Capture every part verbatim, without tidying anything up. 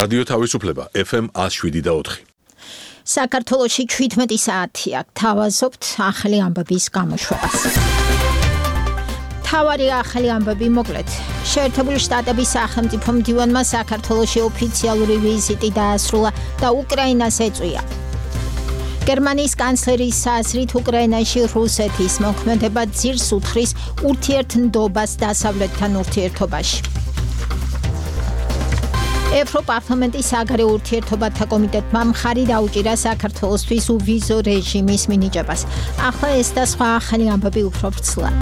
რადიო თავისუფლება ეფ ემ one oh seven და four. საქართველოში ჩვიდმეტი საათი აქ თავაზობთ ახალი ამბების გამოშვებას. თავარი ახალი ამბები მოკლედ. შეერთებული შტატების სახელმწიფო მდივანმა საქართველოში ოფიციალური ვიზიტი დაასრულა და უკრაინას ეწვია. გერმანიის კანცლერის აზრით უკრაინაში რუსეთის მოქმედება ძირს უთხრის ურთიერთნდობას დასავლეთთან ურთიერთობაში. ევროპარლამენტის საგარეო ურთიერთობათა კომიტეტმა მხარი დაუჭირა საქართველოსთვის უვიზო რეჟიმის მინიჭებას. ახლა ეს და სხვა ახალი ამბები უფრო ვრცლად.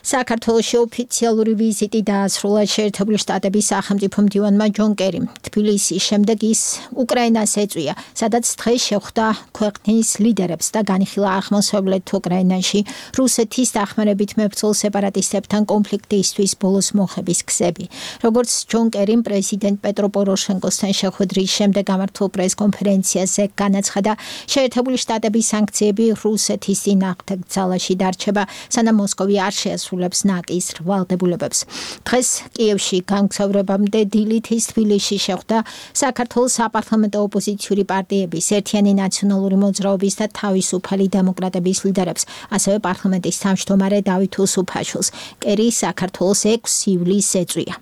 საქართველოში ოფიციალური ვიზიტი დაასრულა შეერთებული შტატების სახელმწიფო მდივანმა ჯონ კერიმ. თბილისის შემდეგ ის უკრაინას ეწვია, სადაც დღეს შეხვდა ქვეყნის ლიდერებს და განიხილა აღმოსავლეთ უკრაინაში რუსეთის დახმარებით მებრძოლ სეპარატისტებთან კონფლიქტისთვის ბოლოს მოხების გზები. როგორც ჯონ კერიმ პრეზიდენტ პეტრო პოროშენკოსთან შეხვედრის შემდეგ გამართულ პრესკონფერენციაზე განაცხადა, შეერთებული შტატების სანქციები რუსეთის წინააღმდეგ ძალაში დარჩება, სანამ მოსკოვი არ შეასრულებს ნაკის ვალდებულებებს. დღეს კიევში გამგზავრებამდე დილით ის თბილისში შეხვდა საქართველოს საპარლამენტო ოპოზიციური პარტიების, ერთიანი ნაციონალური მოძრაობის და თავისუფალი დემოკრატების ლიდერებს, ასევე პარლამენტის თავმჯდომარე დავით უსუფაშვილს. კერი საქართველოს ექვსი ივლისს ეწვია.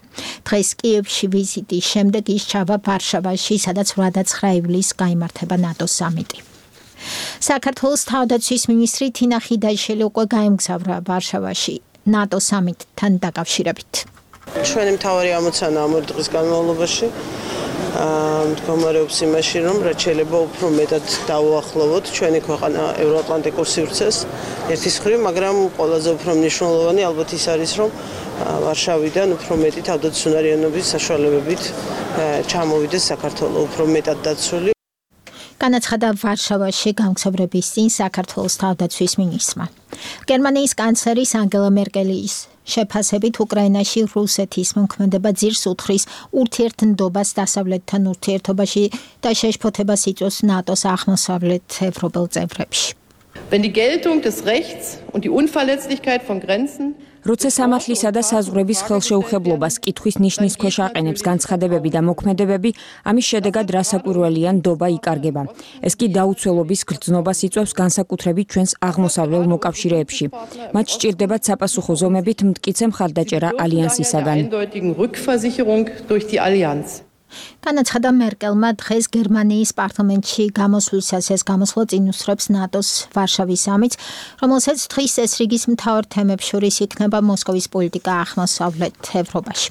დღეს კიევში ვიზიტის შემდეგ ის ჩავა ვარშავაში, სადაც eighth ივლისს გაიმართება ნატოს სამიტი. საქართველოს თავდაცვის მინისტრი თინა ხიდაშელი უკვე გაემგზავრა ვარშავაში ნატო სამიტთან დაკავშირებით. ჩვენი მთავარი ამოცანა ამ ორი დღის განმავლობაში მდგომარეობს იმაში, რომ რაც შეიძლება უფრო მეტად დავუახლოვოთ ჩვენი ქვეყანა ევროატლანტიკურ სივრცეს ერთის მხრივ, მაგრამ ყველაზე უფრო მნიშვნელოვანი ალბათ ის არის, რომ ვარშავიდან უფრო მეტი თავდაცვისუნარიანობის საშუალებებით ჩამოვიდეს საქართველო უფრო მეტად დაცული. განაცხადა ვარშავაში გამგზავრების წინ საქართველოს თავდაცვის მინისტრმა. გერმანიის კანცლერის ანგელა მერკელის შეფასებით უკრაინაში რუსეთის მოქმედება ძირს უთხრის ურთიერთნდობას დასავლეთთან ურთიერთობაში და შეშფოთებას იწვევს ნატოს აღმოსავლეთ ევროპელ წევრებში. Wenn die Geltung des Rechts und die Unverletzlichkeit von Grenzen როცა სამართლისა და საზღვრების ხელშეუხებლობას კითხვის ნიშნის ქვეშ აყენებს განცხადებები და მოქმედებები, ამის შედეგად რასაკვირველია ნდობა იკარგება. ეს კი დაუცველობის გრძნობას იწვევს განსაკუთრებით ჩვენს აღმოსავლელ მოკავშირეებში. მათ სჭირდებათ საპასუხო ზომებით მტკიცე მხარდაჭერა ალიანსისაგან. განაცხადა მერკელმა დღეს გერმანიის პარლამენტში გამოსვლისას. ეს გამოსვლა წინ უსწრებს ნატოს ვარშავის სამიტს, რომელსაც დღის წესრიგის მთავარ თემებს შორის იქნება მოსკოვის პოლიტიკა აღმოსავლეთ ევროპაში.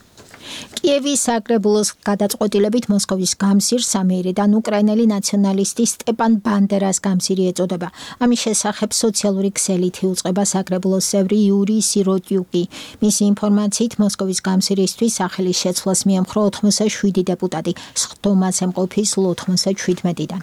კიევის საკრებულოს გადაწყვეტილებით მოსკოვის გამზირს ამიერიდან უკრაინელი ნაციონალისტი სტეპან ბანდერას გამზირი ეწოდება. ამის შესახებ სოციალური ქსელით იუწყება საკრებულოს წევრი იური სიროტიუკი. მისი ინფორმაციით მოსკოვის გამზირისთვის სახელის შეცვლას მიემხრო ოთხმოცდაშვიდი დეპუტატი, სხდომაზე მყოფის ოთხმოცდაჩვიდმეტიდან.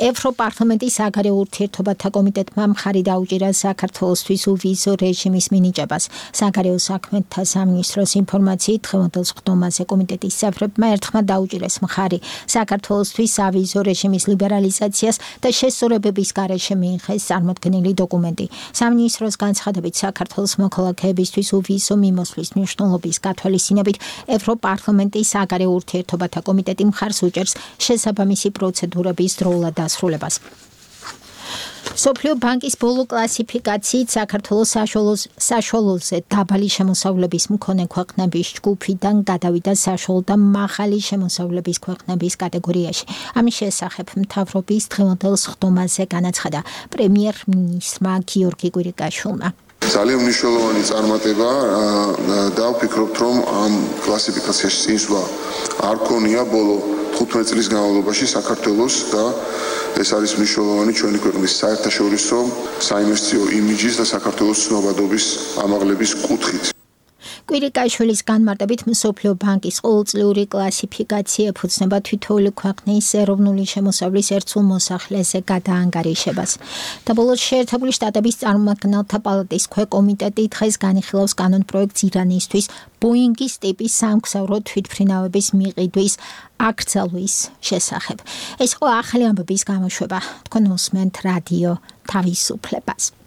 ევროპარლამენტის საგარეო ურთიერთობათა კომიტეტმა მხარი დაუჭირა საქართველოსთვის უვიზო რეჟიმის მინიჭებას. საგარეო საქმეთა სამინისტროს ინფორმაციით დღევანდელ სხდომაზე კომიტეტის წევრებმა ერთხმად დაუჭირეს მხარი საქართველოსთვის ავიზო რეჟიმის ლიბერალიზაციას და შესწორებების გარეშე მიიღეს წარმოქმნილი დოკუმენტი. სამინისტროს განცხადებით საქართველოს მოქალაქეებისთვის უვიზო მიმოსვლის მნიშვნელობის გათვალისწინებით ევროპარლამენტის საგარეო ურთიერთობათა კომიტეტი მხარს უჭერს შესაბამისი პროცედურების დროულად დასრულებას. მსოფლიო ბანკის ბოლო კლასიფიკაციით საქართველოს საშუალოზე დაბალი შემოსავლების მქონე ქვეყნების ჯგუფიდან გადავიდა საშუალო და მაღალი შემოსავლების ქვეყნების კატეგორიაში. ამის შესახებ მთავრობის დღევანდელ სხდომაზე განაცხადა პრემიერ-მინისტრმა გიორგი კვირიკაშვილმა. ძალიან მნიშვნელოვანი წარმატება და ვფიქრობთ, რომ ამ კლასიფიკაციაში წინსვლა არ ქონია ბოლო თხუთმეტ წლის განმავლობაში საქართველოს და ეს არის მნიშვნელოვანი ჩვენი ქვეყნის საერთაშორისო საინვესტიციო იმიჯის და საქართველოს ცნობადობის ამაღლების კუთხით. კვირიკაშვილის განმარტებით მსოფლიო ბანკის ყოველწლიური კლასიფიკაცია ეფუძნება თითოეული ქვეყნის ეროვნული შემოსავლის ერთსულ მოსახლეზე გადაანგარიშებას. და ბოლოს შეერთებული შტატების წარმომადგენელთა პალატის ქვეკომიტეტი დღეს განიხილავს კანონპროექტს ირანისთვის ბოინგის ტიპის სამგზავრო თვითმფრინავების მიყიდვის აკრძალვის შესახებ. ეს იყო ახალი ამბების გამოშვება. თქვენ უსმენთ რადიო თავისუფლებას.